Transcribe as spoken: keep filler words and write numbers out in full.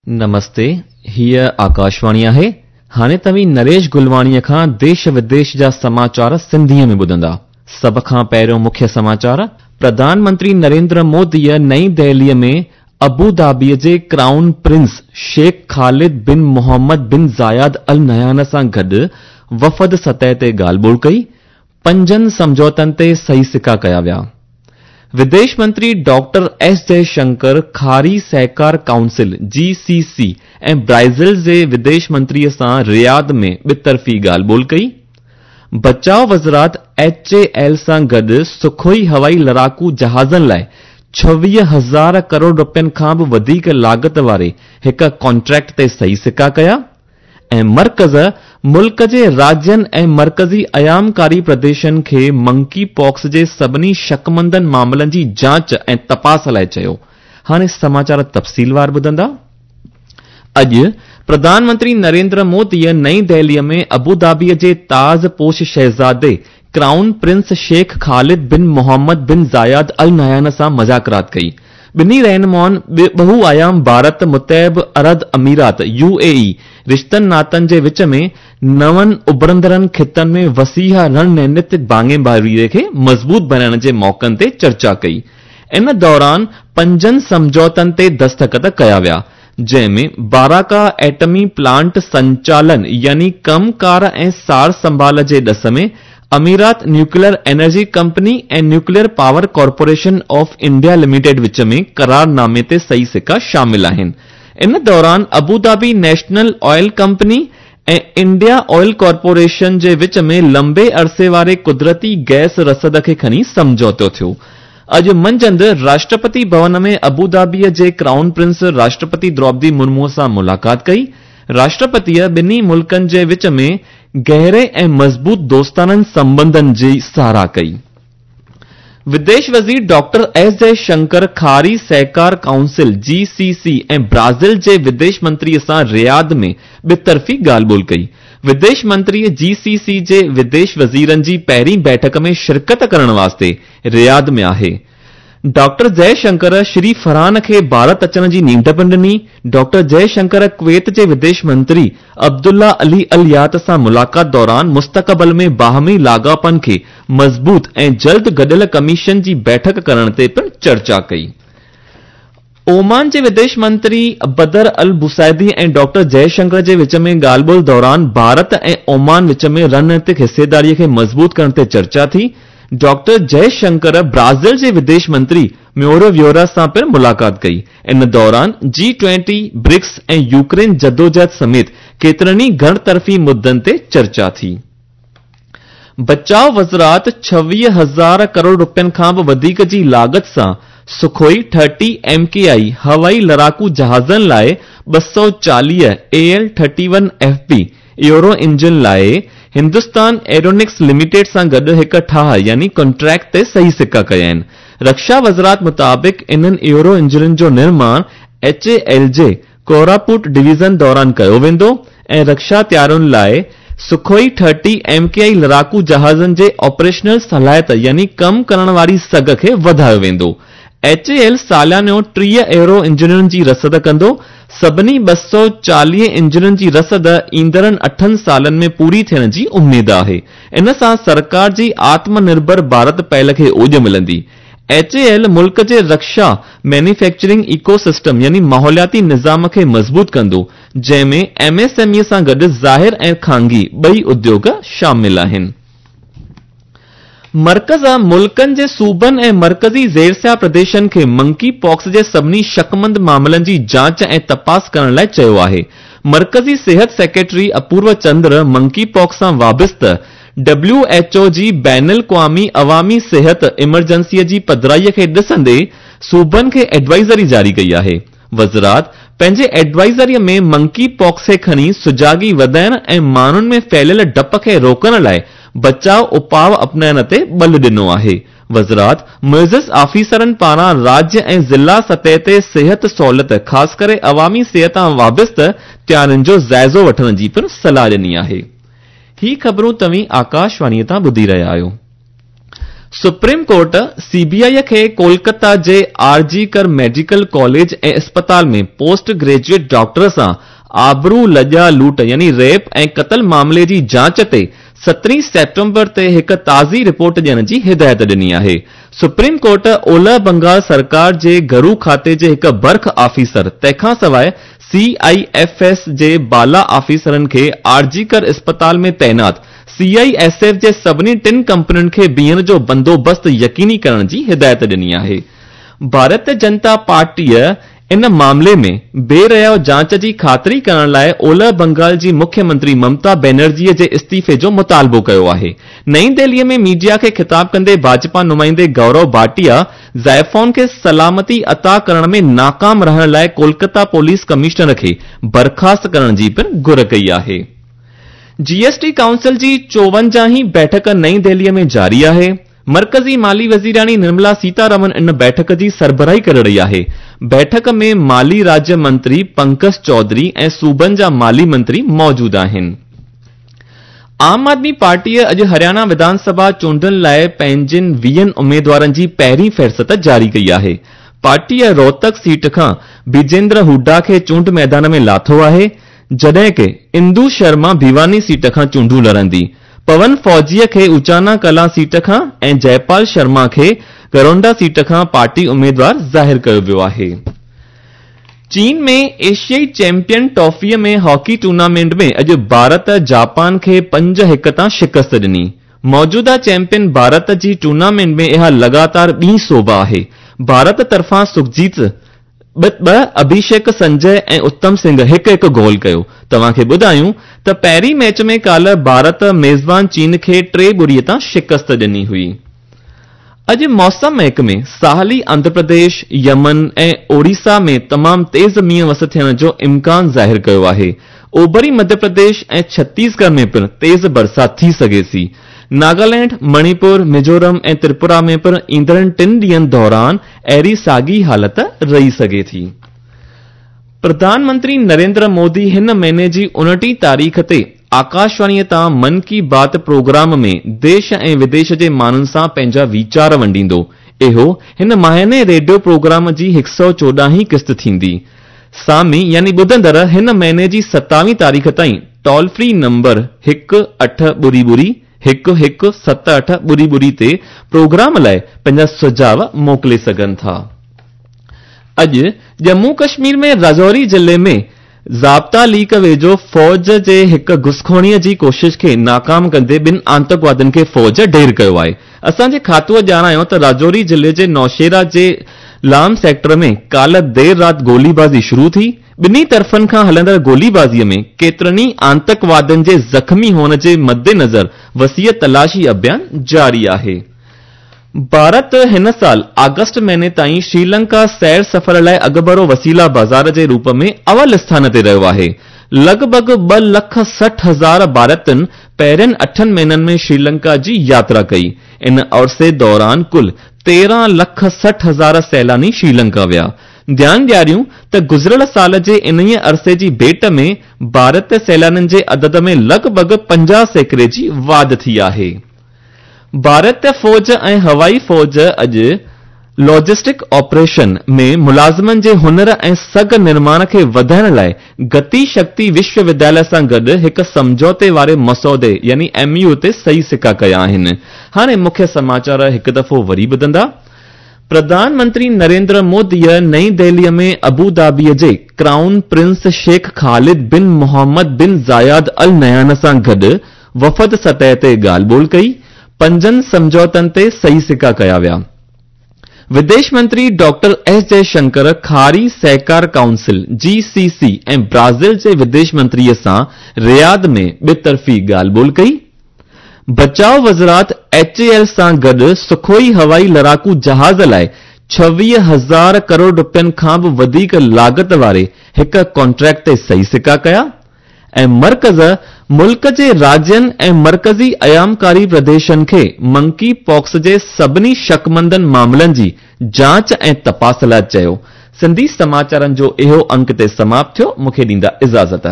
نمستي، هيء آڪاشواڻي آهي. هاڻي توهين نريش گلواڻيء کان ديش وديش جا سماچار سنڌيء ۾ ٻڌندا. سڀ کان پهريون مکيه سماچار، پرڌان منتري نريندر موديء نئين دهليء ۾ ابوڌابيء جي crown prince Sheikh Khalid bin Mohammed bin Zayed Al Nahyan سان گڏ وفد سطح تي ڳالهه ٻولهه ڪئي. پنجن سمجهوتن تي صحيح سڪا ڪيا ويا. وديش منتري ڊاڪٽر ايس جئي شنڪر کاري سهڪار ڪائونسل، جي سي سي، ۽ برازيل جي وديش منتريء سان رياض ۾ ٻطرفي ڳالهه ٻولهه ڪئي. بچاء وزارت ايڇ اي ايل سان گڏ سخوئي هوائي لڙاڪو جهازن لاءِ ڇويهه هزار ڪروڙ رپين کان به وڌيڪ لاڳت واري هڪ ڪانٽريڪٽ تي صحيح سڪا ڪيا ۽ مرڪز ملڪ جي راجين ۽ مرڪزي ايامڪاري پرديشن کي منڪي پاڪس جي سڀني شڪمندن معاملن جي جاچ ۽ تپاس لاءِ چيو. هاڻي سماچار تفصيلوار ٻڌندا. اڄ پرڌان منتري نريندر موديء نئين دهليء ۾ ابوڌابيء جي تاج پوش شهزادي crown prince Sheikh Khalid bin Mohammed bin Zayed Al Nahyan سان مذاڪرات ڪئي. ٻنهي رهنمائن ٻهو آيام ڀارت متحده عرب امارات، يو اي اي، رشتن ناتن جي وچ ۾ نون اڀرندڙن خطن ۾ وسيع رڻنيتڪ ڀاڱيداريء کي مضبوط بڻائڻ جي موقعن تي چرچا ڪئي. ان دوران پنجن سمجهوتن تي دستخط ڪيا ويا، جنهن ۾ باراڪا ايٽمي پلانٽ سنچالن يعني ڪم ڪار ۽ سار سنڀال جي ڏس ۾ امارات nuclear energy company ۽ nuclear power corporation of India limited وچ ۾ قرارنامي تي صحيح سڪا شامل آهن. ان دوران Abu Dhabi national oil company ۽ India oil corporation جي وچ ۾ لمبي عرصي واري قدرتي گئس رسد کي کڻي سمجهوتو ٿيو. اڄ منجهند راشٽرپتي ڀون ۾ ابوڌابيء جي ڪرائون پرنس راشٽرپتي دروپدي مرموء سان ملاقات ڪئي. راشٽرپتيء ٻنهي ملڪن جي وچ ۾ گهري ۽ مضبوط دوستاڻن سنٻنڌن جي ساراهه ڪئي. وديش وزير ڊاڪٽر ايس جئي شنڪر کاري سهڪار ڪائونسل، جي سي سي، ۽ برازيل جي وديش منتريء سان رياض ۾ ٻطرفي ڳالهه ٻولهه ڪئي. وديش منتري جي سي سي جي وديش وزيرن جي پهرين بيٺڪ ۾ شرڪت ڪرڻ واسطي رياض ۾ آهي. ڊاڪٽر جئي شنڪر شري فرحان کي ڀارت اچڻ جي نينڍ پڻ ڏني. ڊاڪٽر جئي شنڪر ڪويت جي وديش منتري عبدالله علي اليات سان ملاقات دوران مستقبل ۾ باهمي لاڳاپن کي مضبوط ۽ جلد گڏيل ڪميشن جي بيٺڪ ڪرڻ تي پڻ چرچا ڪئي. اومان جي وديش منتري بدر البوسائدي ۽ ڊاڪٽر جئي شنڪر جي وچ ۾ ڳالهه ٻولهه دوران ڀارت ۽ اومان وچ ۾ رڻنيتڪ حصيداريء کي مضبوط ڪرڻ تي چرچا ٿي. ڊاڪٽر جئي شنڪر برازيل جي وديش منتري ميورو ويورا سان پڻ ملاقات ڪئي. ان دوران جي ٽوئنٽي، برڪس ۽ يوڪرين جدوجهد سميت ڪيترن ئي گهڻ طرفي مدن تي چرچا ٿي. بچاء وزارت ڇويهه هزار ڪروڙ رپين کان به وڌيڪ جي لاڳت سان سخوئي ٿرٽي ايم ڪي آئي هوائي لڙاڪو جهازن لاءِ ٻه سؤ چاليهه A L thirty one F B aero engine لاءِ هندستان ايرونٽڪس لميٽيڊ سان گڏ هڪ ٺاهه يعني ڪانٽريڪٽ تي صحيح سڪا ڪيا آهن. رڪشا وزارت مطابق انهن ايئرو انجنن جو نرماڻ ايڇ اي ايل جي ڪوراپوٽ ڊويزن دوران ڪيو ويندو ۽ رڪشا تيارين لاءِ سخوئي ٿرٽي ايم ڪي آئي لڙاڪو جهازن جي آپريشنل صلاحيت يعني ڪم ڪرڻ واري سگهه کي وڌايو ويندو. ايڇ اي ايل ساليانو ٽيهه ايئرو انجنن جي رسد ڪندو. سڀني ٻه سؤ چاليهه انجنن جي رسد ايندڙن اٺن سالن ۾ پوري ٿيڻ جي اميد آهي. ان سان سرڪار جي آتم نرڀر ڀارت پهل کي اوڄ ملندي. ايڇ اي ايل ملڪ جي رڪشا مينوفيڪچرنگ ايڪو سسٽم يعني ماحولياتي نظام کي مضبوط ڪندو، جنهن ۾ ايم ايس ايم اي سان گڏ ظاهر ۽ خانگي ٻئي اديوگ شامل آهن. مرڪز ملڪن جي صوبن ۽ مرڪزي زيرسيا پرديشن کي منڪي پاڪس جي سڀني شڪمند معاملن جي جاچ ۽ تپاس ڪرڻ لاءِ چيو آهي. مرڪزي صحت secretary Apurva Chandra monkeypox سان وابسته ڊبليو ايڇ او جي بين الاقوامي عوامي صحت ايمرجنسيءَ جي پڌرائيءَ کي ڏسندي صوبن کي ايڊوائزري جاري ڪئي آهي. وزارت پنهنجي ايڊوائزريءَ ۾ منڪي پاڪس کي کڻي سجاڳي وڌائڻ ۽ ماڻهن ۾ ڦهليل ڊپ کي روڪڻ لاءِ بچاءُ اپاءُ اپنائڻ تي ٻل ڏنو آهي. وزارت معزز آفيسرن پاران راجيه ۽ ضلع سطح تي صحت سهولت خاص ڪري عوامي صحت سان وابسته تيارين جو جائزو وٺڻ جي پڻ صلاح ڏني آهي. هي خبرون توهين آڪاشواڻيءَ تان ٻڌي رهيا آهيو. Supreme court C B I کي ڪولڪتا جي R G Kar medical college ۽ اسپتال ۾ پوسٽ گريجوئيٽ ڊاڪٽر سان آبرو لڄا لوٽ يعني ريپ ۽ قتل معاملي جي جاچ تي سترهين سيپٽمبر تي هڪ تازي رپورٽ ڏيڻ جي هدايت ڏني آهي. سپريم ڪورٽ اولهه بنگال سرڪار جي گهرو کاتي جي هڪ برک آفيسر تنهن کان سواءِ سي I F S جي بالا آفيسرن کي آر جي ڪر اسپتال ۾ تعينات سي I S F جي سڀني ٽن ڪمپنين کي بيهڻ جو بندوبست يقيني ڪرڻ جي هدايت ڏني آهي. ڀارتيه جنتا پارٽيءَ ان معاملي ۾ بي ريائو جاچ جي خاطري ڪرڻ لاءِ اولهه بنگال جي مکيه منتري ممتا بينرجيءَ جي استعيفي جو مطالبو ڪيو آهي. نئين دهليءَ ۾ ميڊيا کي خطاب ڪندي ڀاجپا نمائندي گورو ڀاٽيا زائفائن کي سلامتي عطا ڪرڻ ۾ ناڪام رهڻ لاءِ ڪولڪتا پوليس ڪمشنر کي برخاست ڪرڻ جي پڻ گهر ڪئي آهي. جي ايس ٽي ڪائونسل جي چوونجاهين بيٺڪ نئين دهليءَ ۾ جاري آهي. مرڪزي مالي وزيراڻي نرملا سيتارمن ان بيٺڪ جي سربراهي ڪري رهي آهي. بيٺڪ ۾ مالي راجيه منتري پنڪج چوڌري ۽ صوبن جا مالي منتري موجود آهن. عام آدمي پارٽيءَ اڄ هرياڻا وڌان سڀا چونڊن لاءِ پنهنجن ويهن اميدوارن جي پهرين فهرست جاري ڪئي آهي. پارٽيءَ روهتڪ سيٽ کان بجيندر هوڊا کي چونڊ ميدان ۾ لاٿو آهي، جڏهن ڪه اندو شرما ڀواني سيٽ کان چونڊون لڙندي. پون فوجيءَ کي اچانا ڪلا سيٽ کان ۽ جئپال شرما کي گرونڊا سيٽ کان پارٽي اميدوار ظاهر ڪيو ويو آهي. چين ۾ ايشيائي چيمپيئن ٽرافيءَ ۾ هاڪي ٽورنامينٽ ۾ اڄ ڀارت جاپان کي پنج هڪ تان شڪست ڏني. موجوده چيمپيئن ڀارت جي ٽورنامينٽ ۾ اها لڳاتار ٻي سوڀ آهي. ڀارت طرفان سکجيت ٻه ٻه، اڀيشيڪ سنجي ۽ اتم سنگهه هڪ هڪ گول ڪيو. توهان کي ٻڌايون ته پهرين ميچ ۾ ڪالهه ڀارت ميزبان چين کي ٽي ٻڙيءَ تان شڪست ڏني هئي. اڄ موسم محڪمي ساحلي آنڌرا پرديش، يمن ۽ اوڙيسا ۾ تمام تيز مينهن وس ٿيڻ جو امڪان ظاهر ڪيو آهي. اوڀري مڌيه پرديش ۽ ڇتيسڳڙهه ۾ پڻ تيز برسات ٿي سگهي ٿي. ناگالينڊ، مڻيپور، ميزورم ۽ تريپورا ۾ پڻ ايندڙ ٽن ڏينهن دوران اهڙي ساڳي حالت رهي سگهي ٿي. پرڌان منتري نريندر مودي هن مهيني جي اڻٽيهه تاريخ تي آڪاشواڻيءَ تان من ڪي بات پروگرام ۾ ديش ۽ وديش جي ماڻهن سان پنهنجا ويچار ونڊيندو. اهو هن ماهاني ريڊيو پروگرام جي هڪ سؤ چوڏهين قسط ٿيندي. سامي يعني ٻڌندڙ هن مهيني جي ستاويهه تاريخ تائين ٽول فري نمبر هڪ اٺ ٻڙي ٻڙي هڪ هڪ ست اٺ ٻڙي ٻڙي تي پروگرام لاءِ پنهنجا سجهاءُ موڪلي سگهن ٿا. اڄ ڄمون ڪشمير ۾ راجوري ضلعي ۾ ضابطا ليڪ ويجهو فوج جي هڪ گهسخوريءَ جي ڪوشش کي ناڪام ڪندي ٻن آتنڪوادين کي فوج ڍير ڪيو آهي. اسان جي کاتوءَ ڄاڻايو ته راجوري ضلعي جي نوشهرا جي لام سيڪٽر ۾ ڪالهه دير رات گوليبازي شروع ٿي. ٻنهي طرفن کان هلندڙ گوليبازيءَ ۾ ڪيترن ئي آتنڪوادين جي زخمي هئڻ جي مدنظر وسيع تلاشي اڀيان جاري آهي. ڀارت هن سال آگسٽ مهيني تائين شريلنڪا سير سفر لاءِ اڳڀرو وسيلا بازار جي روپ ۾ اول اسٿان تي رهيو آهي. لڳ ڀڳ ٻه لک سٺ هزار ڀارتين پهرين اٺن مهينن ۾ شريلنڪا جي ياترا ڪئي. ان عرصي دوران ڪل تيرهن لک سٺ هزار سيلاني شريلنڪا ويا. ڌيان ڏياريون ته گذريل سال جي انهيءَ عرصي جي ڀيٽ ۾ ڀارت سيلانين جي عدد ۾ لڳ ڀڳ پنجاهه سيڪڙي جي واڌ ٿي آهي. ڀارتيه فوج ۽ هوائي فوج اڄ لاجسٽڪ آپريشن ۾ ملازمن جي هنر ۽ سگهه نرماڻ کي وڌائڻ لاءِ گتي شڪتي وشو ودياليه سان گڏ هڪ سمجهوتي واري مسودي يعني ايم يو تي صحيح سڪا ڪيا آهن. هاڻي مکيه سماچار هڪ دفعو وري ٻڌندا. پرڌان منتري نريندر موديءَ نئين دهليءَ ۾ ابوڌابيءَ جي crown prince Sheikh Khalid bin Mohammed bin Zayed Al Nahyan سان گڏ وفد سطح تي ڳالهه ٻولهه ڪئي. پنجن سمجهوتن تي صحيح سڪا ڪيا ويا. وديش منتري ڊاڪٽر ايس جئشنڪر کاري سهڪار ڪائونسل جي سي سي ۽ برازيل جي وديش منتريءَ سان رياض ۾ ٻطرفي ڳالهه ٻولهه ڪئي. بچاءُ وزارت ايڇ اي ايل سان گڏ سکوئي هوائي لڙاڪو جهاز لاءِ ڇويهه هزار ڪروڙ رپين کان به وڌيڪ لاڳت واري هڪ ڪانٽريڪٽ تي صحيح سڪا ڪيا. ۽ مرڪز ملڪ جي راجين ۽ مرڪزي ايامڪاري پرديشن کي منڪي پاڪس جي سڀني شڪمندن معاملن جي جاچ ۽ تپاس لاءِ چيو. سنڌي سماچارن جو اهو انڪ تي سماپت ٿيو. مون کي ڏيندا اجازت.